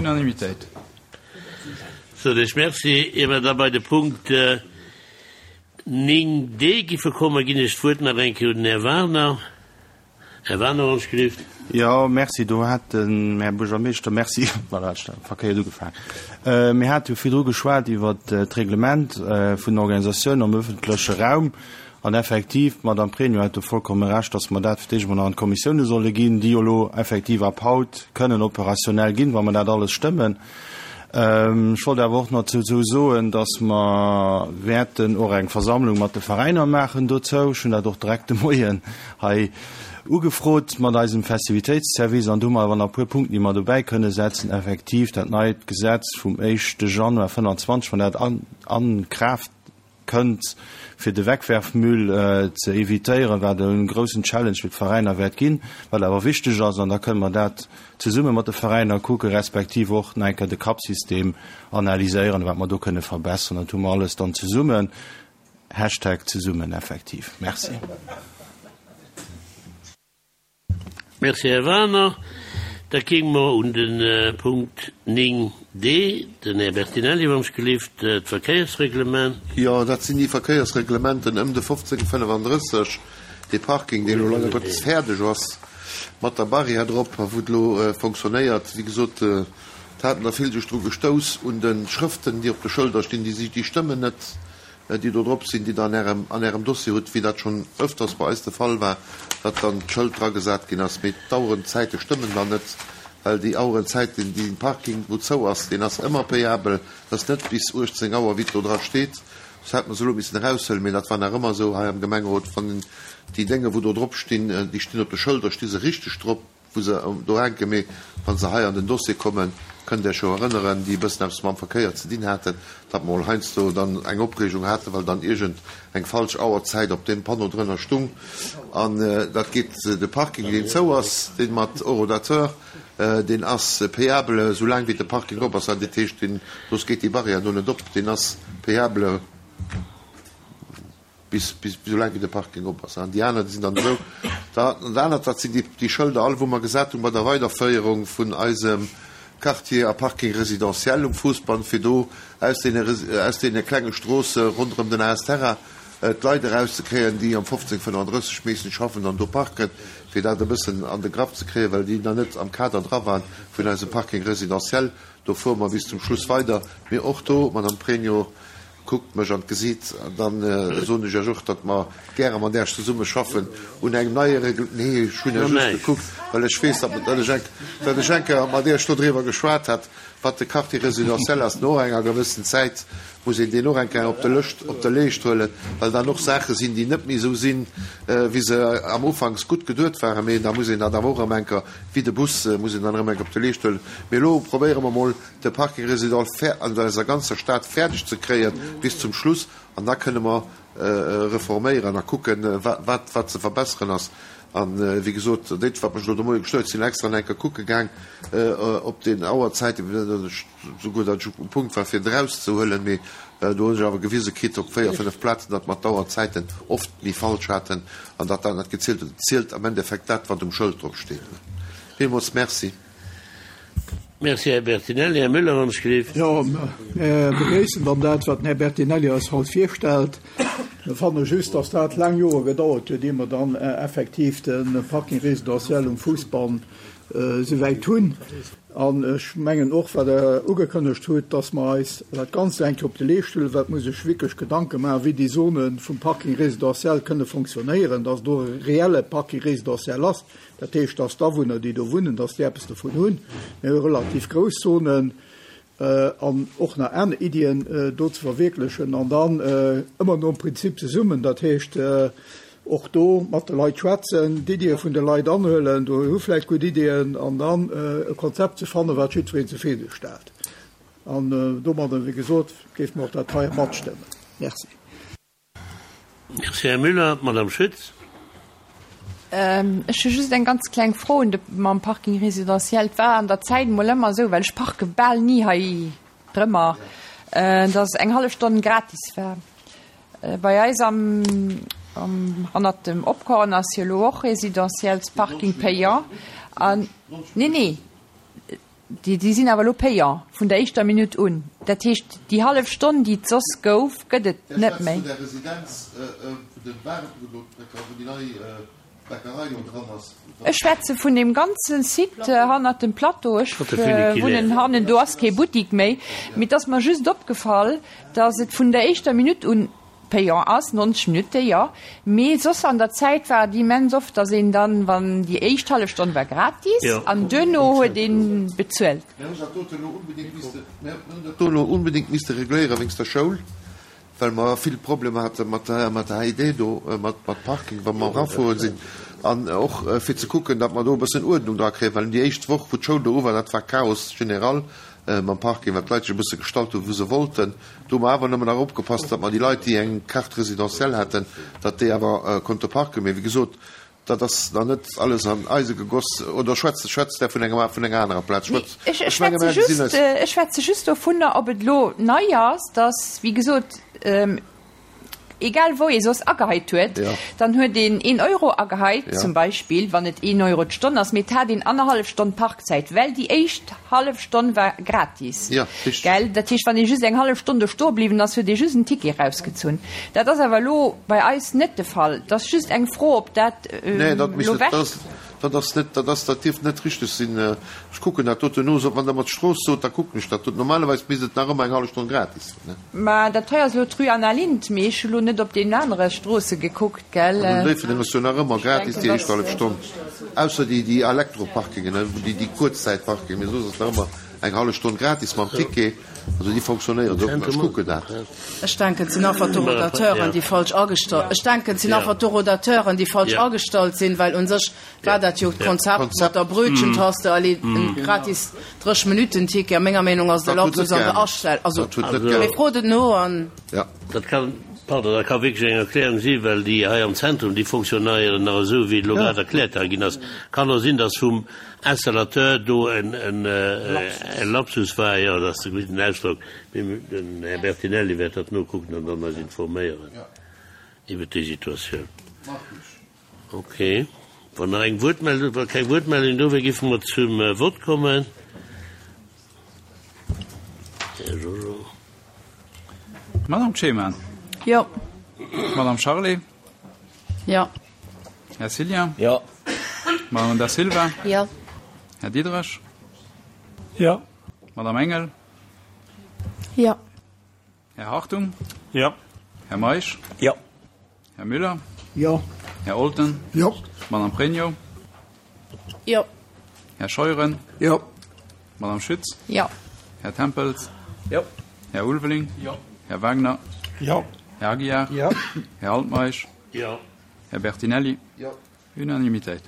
Unanimitéit. Sot ech Merci. Ier mer da bei de Punkt 9 d giffe kommen, ginn ech d'Wuert nach eng Kéier un den Här Wagener. Här Wagener, wann ech gelift. Jo, Merci. Do hat den Här Buergermeeschter, Merci, voilà, ech hat verkéiert ugefaangen. Mir hate jo virdru geschwat iwwert d'Reglement vun den Organisatiounen am öffentleche Raum. An effektiv, d'Madame Pregno hat do vollkomme Recht, dass mer dat fir d'éischt emol nach an d'Kommissioune solle ginn, déi jo elo effektiv ab haut kënnen operationnell ginn, wa mer dat alles stëmmen. Ech wollt awer och nach dozou soen, dass mer wäerten och eng Versammlung mat de Veräiner maachen dozou. Ech hunn dat och direkt de Moien hei ugefrot mat eisem Festivitéitsservice. An do hu mer awer nach e puer Punkten, déi mer dobäi kënne setzen. Effektiv, dat neit Gesetz vum éischte Januar 25, wann dat a Kraaft kënnt, fir de Wegwerfmüll ze evitéieren, wat e groussen Challenge fir d'Veräiner wäert ginn, wat awer wichteg ass. An da kënne mer dat zesumme mat de Veräiner kucken, respektiv och nach eng Kéier de Cup-System analyséieren, wat mer do kënne verbessern. Dat hu mer alles dann zesummen. Hashtag zesummen effektiv. Merci. Merci, Här Wagener. Da kéime mer un de Punkt 9 d, den Här Bertinelli, wann ech gelift, d'Verkéiersreglement. Jo, dat sinn déi Verkéiersreglementen ëm de 1535, dee Parking, deen elo leider Gottes fäerdeg ass, mat der Barrière drop a wou et elo fonctionnéiert. Wéi gesot, et haten der vill sech dru gestouss un de Schrëften, déi op de Schëlder stinn, déi si, déi stëmmen net. déi do drop sinn, déi Der an Ärem, an Ärem Dossier hutt, wéi dat schonn öfters bei eis de Fall war, datt dann d'Schëld dragesat ginn ass, mee d'Auerenzäite stëmmen dann net, well déi Auerenzäiten, dee Parking, wou zou ass, deen ass ëmmer payabel, dat ass net bis 18 Auer, wéi et do dra steet. Soss hätte mer se elo missen eraushuelen, mee dat war nach ëmmer esou hei am Gemengerot, wann déi Dénge wou do drop stinn, déi stinn op de Schëlder, sti se richteg drop. wou se do hänken, mee wa se hei an den Dossier kommen, kënnt Iech jo erënneren, déi e bëssen eppes mam Verkéier ze dinn haten, datt mer mol heiansdo dann eng Opreegung haten, well dann iergend eng falsch Auerzäit op deem Panneau drënner stung. An dat geet, de Parking, deen zou ass, dee mat Horodateur, deen ass payable, esou laang wéi de Parking op ass. Dat heescht, deen, soss geet déi Barrière do net op, deen ass payable. Bis, bis, esou laang wéi de Parking op ass. An déi aner, déi sinn dann esou. Dat anert, dat sinn déi, déi Schëlder all, wou mer gesat hunn bei der Weiderféierung vun eisem Quartier a Parking résidentiel um Fousbann, fir do aus deene, aus deene klenge Stroosse ronderëm den AS Terra d'Leit erauszekréien, déi am 15, 35 meeschtens schaffen an do parken, fir dat e bëssen an de Grapp ze kréien, well déi nach net am Kader dra waren vun eisem Parking résidentiel. Do fuere mer bis zum Schluss weider. Mee och do, Madame Pregno, Kuckt mech an d'Gesiit, an dann soen ech Iech och, datt mer gäre mat Iech zesumme schaffen un engem neie Regl-, nee, ech hunn Iech just gekuckt, well ech weess, datt ech eng, datt ech eng Kéier mat Iech dodriwwer geschwat hat, wat de Quartier résidentiel ass. No enger gewëssen Zäit muss een deen och eng Kéier op de Lëscht, op de Leescht huelen, well dann och Saache sinn, déi net méi esou sinn, wéi se am Ufanks gutt geduet waren. Mee da muss een dat awer och erëm eng Kéier, wéi de Bus, muss een dann erëm eng Kéier op de Leescht huelen. Mee elo probéiere mer emol, de Parking résidentiel fer an eiser ganzer Stad fäerdeg ze kréien bis zum Schluss an da kënne mer reforméieren a kucken, wat wat ze verbesseren ass. An, wéi gesot, dat wat mech elo de Moie gestuer huet, sinn extra nach eng Kéier kucke gaang op den Auerzäiten, souguer datt ech um Punkt war fir et erauszehuelen, mee do hunn ech awer gewise kritt op 4, 5 Plazen, datt mer d'Auerzäiten oft méi falsch haten an datt dat net gezielt huet. Et zielt am Endeffekt dat, wat um Schëld drop steet. Villmools Merci. Merci, Här Bertinelli. Här Müller, wann ech gelift. Jo, mir begréissen dann dat, wat den Här Bertinelli eis haut virstellt. Mir fanne just, dass dat laang Jore gedauert huet, ier mer dann effektiv de Parking résidentiel um Fousbann esouwäit hunn. An ech mengen och, wat Der ugekënnegt hutt, dass mer eis dat Ganzt eng Kéier op de Leescht huelen, well et muss sech wierklech Gedanke maachen, wéi déi Zone vum Parking résidentiel kënne fonctionnéieren, dass do e reelle Parking résidentiel ass. Dat heescht, dass d'Awunner, déi do wunnen, dass déi eppes dovun hunn. Mir hu relativ grouss Zonen an och nach aner Iddien do ze verwierklechen an dann ëmmer nom Prinzip zesummen, dat heescht och do mat de Leit schwätzen, d'Iddie vun de Leit anhuelen, do hu vläicht gutt Iddien, an dann e Konzept ze fannen, wat jiddwereen zefridde stellt. An domadder, wéi gesot, géife mer och dat hei matstëmmen. Merci. Merci, Här Müller. D'Madame Schütz. Ech hu just eng ganz kleng Fro un de mam Parking résidentiel. Et war an der Zäit emol ëmmer esou, well ech parke bal ni hei drëmmer, dass eng hallef Stonn gratis war. Bei eis am am hannert dem Opkorn ass jo elo och résidentiels Parking payant an, nee, nee. Déi, déi sinn awer elo payant vun der éischter Minutt un. Dat heescht, déi hallef Stonn, déi et soss gouf, gëtt et Der net schwätzt méi. vun der Residenz, vun de Waren, wou do d'Bäcker, wou déi nei Bäckerei do dran ass. Ech schwätze vun deem ganze Site hannert dem Plateau. Ech wunnen hannen, do ass kee Buttik méi. Mee et ass mer just opgefall, datt et vun der éischter Minutt un payant ass, 90 Minutte, jo. Mee soss an der Zäit war et immens oft, datt een dann, wann déi éischt hallef Stonn war gratis an duerno huet ee bezuelt. Mir hunn dat dote elo onbedéngt misste, mir hunn dat do elo onbedéngt misste regléieren wéinst der Schoul, well mer vill Problemer hate mat der, mat der HID do, mat, mat Parking, wa mer erafueren sinn. An och fir ze kucken, datt mer do e bëssen Uerdnung dra kréien, well déi éischt Woch, wou d'Schoul do u war, dat war Chaos général mam Parking, well d'Leit sech e bësse gestallt hunn, wou se wollten. Do hu mer awer nëmmen nach opgepasst, datt mer déi Leit, déi eng Carte résidentielle haten, datt déi awer konnte parken. Mee wéi gesot, dat ass nach net alles an Eise gegoss. Oder schwätzt, schwätzt Der vun engem, vun enger anerer Plaz? Nee, Schwätzt, ech, ech ech menge schwätze mer gesinn just, eis. ech schwätze just dovunner, ob et elo nei ass, datt, wéi gesot, egal wou ee soss agehait huet, dann huet een een Euro agehait, zum Beispill, wann et een Euro d'Stonn ass, mee et hat een annerhallef Stonn Parkzäit, well déi éischt hallef Stonn war gratis, gell? Dat heescht, wann ee just eng hallef Stonn do stoe bliwwen ass, huet ee just en Ticket erausgezunn. Dat ass awer elo bei eis net de Fall. Et ass just eng Fro, ob dat elo wech. Dat ass net, dat ass, dat dierft net richteg sinn. Ech kucken dat doten no. Wann Der mer d'Strooss sot, da kucken ech dat doten. Normalerweis misst et nach ëmmer eng hallef Stonn gratis sinn, ne? Mä dat hei ass elo d'Rue Anna Lindh, mee ech hu lo net op deenen anere Stroosse gekuckt, gell? An Déifferdeng ass jo nach ëmmer gratis déi éischt hallef Stonn, ausser déi, déi Elektroparkingen, ne, déi, déi Kuerzzäitparkingen, mee soss ass nach ëmmer eng hallef Stonn gratis mam Ticket. Also déi fonctionnéieren och nach. Ech kucken dat. Ech denken, et sinn einfach d'Horodateuren, déi falsch agestallt, ech denken, et sinn einfach d'Horodateuren, déi falsch agestallt sinn, well u sech war dat jo d'Konzept mat der Brötchentaste, allez, en gratis 30 Minutten-Ticket. A menger Meenung ass et e Lapsus an der Astell-, also, mee frot et no an. Dat kann, pardon, dat ka wierklech eng Erklärung sinn, well déi hei am Zentrum, déi fonctionnéieren nach esou, wéi et elo grad erkläert hei ginn ass. Kann och sinn, dass vum Installateur do en Lapsus war, jo, dat ass de gudden Ausdrock, mee den Här Bertinelli wäert dat nokucken an dann eis informéieren iwwert déi Situatioun. Ok, wann nach eng Wuertmeldung, wa keng Wuertmeldung do wär, géife mer zum Vott kommen. Här Jojo. Madame Cheman. Jo. Madame Charlé. Jo. Här Cillien. Jo. Madame Da Silva. Jo. Här Diderich. Jo. Madame Engel. Jo. Här Hartung. Jo. Här Meisch. Jo. Här Müller. Jo. Här Olten. Jo. Madame Pregno. Jo. Här Scheuren. Jo. Madame Schütz. Jo. Här Tempels. Jo. Här Ulveling. Jo. Här Wagner. Jo. Här Aguiar. Jo. Här Altmeisch. Jo. Här Bertinelli. Jo. Unanimitéit.